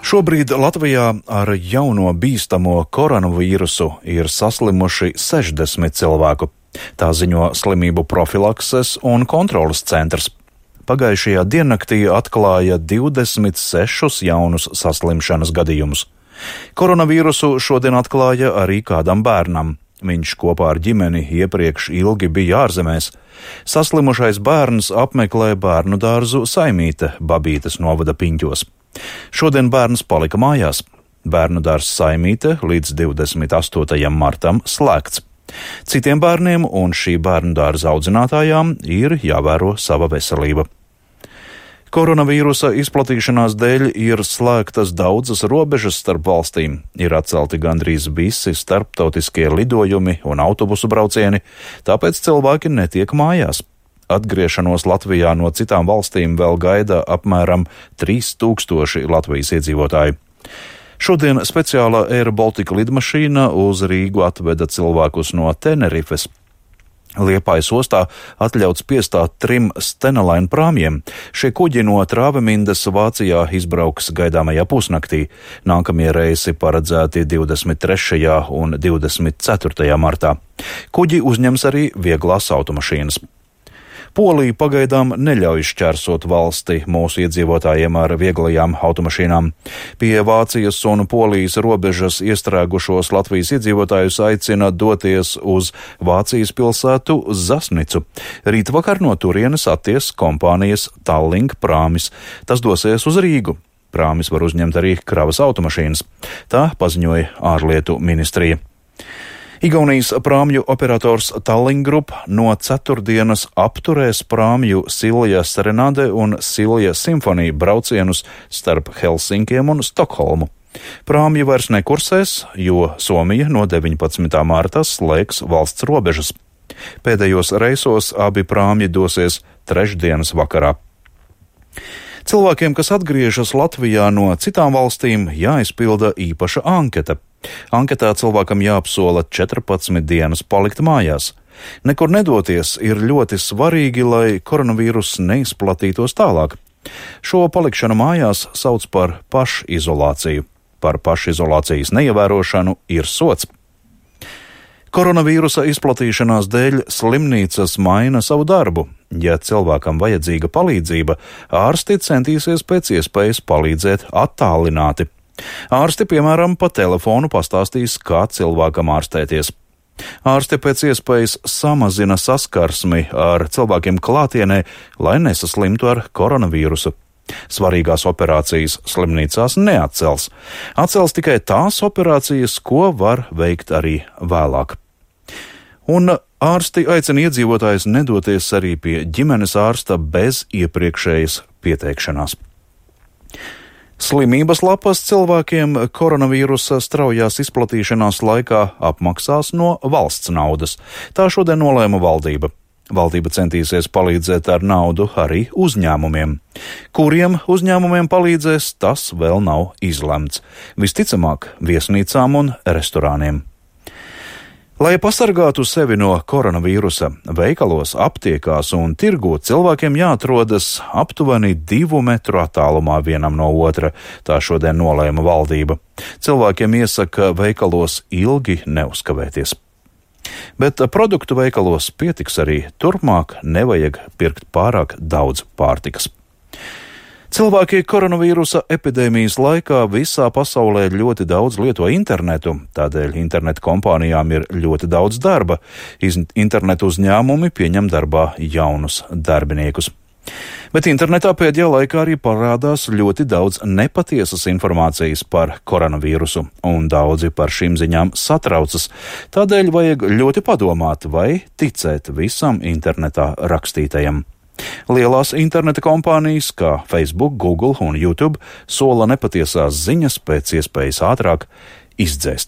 Šobrīd Latvijā ar jauno bīstamo koronavīrusu ir saslimuši 60 cilvēku. Tā ziņo Slimību profilakses un kontroles centrs. Pagājušajā diennaktī atklāja 26 jaunus saslimšanas gadījumus. Koronavīrusu šodien atklāja arī kādam bērnam. Viņš kopā ar ģimeni iepriekš ilgi bija ārzemēs. Saslimušais bērns apmeklē bērnu dārzu Saimīte Babītes novada Piņķos. Šodien bērns palika mājās. Bērnu dārzs Saimīte līdz 28. martam slēgts. Citiem bērniem un šī bērnu dārza audzinātājām ir jāvēro sava veselība. Koronavīrusa izplatīšanās dēļ ir slēgtas daudzas robežas starp valstīm, ir atcelti gandrīz visi starptautiskie lidojumi un autobusu braucieni, tāpēc cilvēki netiek mājās. Atgriešanos Latvijā no citām valstīm vēl gaida apmēram 3000 Latvijas iedzīvotāji. Šodien speciālā Air Baltica lidmašīna uz Rīgu atveda cilvēkus no Tenerifes. Liepājas ostā atļauts piestāt 3 Stena-Line prāmjiem. Šie kuģi no Trāvemindes Vācijā izbrauks gaidāmajā pusnaktī. Nākamie reisi paredzēti 23. un 24. martā. Kuģi uzņems arī vieglās automašīnas. Polija pagaidām neļauj šķērsot valsti mūsu iedzīvotājiem ar vieglajām automašīnām. Pie Vācijas un Polijas robežas iestrēgušos Latvijas iedzīvotājus aicina doties uz Vācijas pilsētu Zasnicu. Rītvakar no turienes atties kompānijas Tallink prāmis. Tas dosies uz Rīgu. Prāmis var uzņemt arī kravas automašīnas. Tā paziņoja ārlietu ministrija. Igaunijas prāmju operators Tallink Group no ceturtdienas apturēs prāmju Silja Serenade un Silja Symphony braucienus starp Helsinkiem un Stokholmu. Prāmji vairs nekursēs, jo Somija no 19. marta slēgs valsts robežas. Pēdējos reisos abi prāmji dosies trešdienas vakarā. Cilvēkiem, kas atgriežas Latvijā no citām valstīm, jāizpilda īpaša anketa. Anketā cilvēkam jāapsola 14 dienas palikt mājās. Nekur nedoties ir ļoti svarīgi, lai koronavīrus neizplatītos tālāk. Šo palikšanu mājās sauc par pašizolāciju. Par pašizolācijas neievērošanu ir sots. Koronavīrusa izplatīšanās dēļ slimnīcas maina savu darbu. Ja cilvēkam vajadzīga palīdzība, ārsti centīsies pēc iespējas palīdzēt attālināti. Ārsti, piemēram, pa telefonu pastāstīs, kā cilvēkam ārstēties. Ārsti pēc iespējas samazina saskarsmi ar cilvēkiem klātienē, lai nesaslimtu ar koronavīrusu. Svarīgās operācijas slimnīcās neatcels. Atcels tikai tās operācijas, ko var veikt arī vēlāk. Un ārsti aicina iedzīvotājus nedoties arī pie ģimenes ārsta bez iepriekšējas pieteikšanās. Slimības lapas cilvēkiem koronavīrusa straujās izplatīšanās laikā apmaksās no valsts naudas. Tā šodien nolēma valdība. Valdība centīsies palīdzēt ar naudu arī uzņēmumiem. Kuriem uzņēmumiem palīdzēs, tas vēl nav izlemts. Visticamāk, viesnīcām un restorāniem. Lai pasargātu sevi no koronavīrusa, veikalos, aptiekās un tirgū cilvēkiem jāatrodas aptuveni 2 metru attālumā vienam no otra. Tā šodien nolēma valdība. Cilvēkiem iesaka veikalos ilgi neuzkavēties. Bet produktu veikalos pietiks arī turpmāk, nevajag pirkt pārāk daudz pārtikas. Cilvēki koronavīrusa epidēmijas laikā visā pasaulē ļoti daudz lieto internetu, tādēļ internetu kompānijām ir ļoti daudz darba. Internetu uzņēmumi pieņem darbā jaunus darbiniekus. Bet internetā pēdējā laikā arī parādās ļoti daudz nepatiesas informācijas par koronavīrusu, un daudzi par šīm ziņām satraucas. Tādēļ vajag ļoti padomāt, vai ticēt visam internetā rakstītajam. Lielās interneta kompānijas kā Facebook, Google un YouTube sola nepatiesās ziņas pēc iespējas ātrāk izdzēst.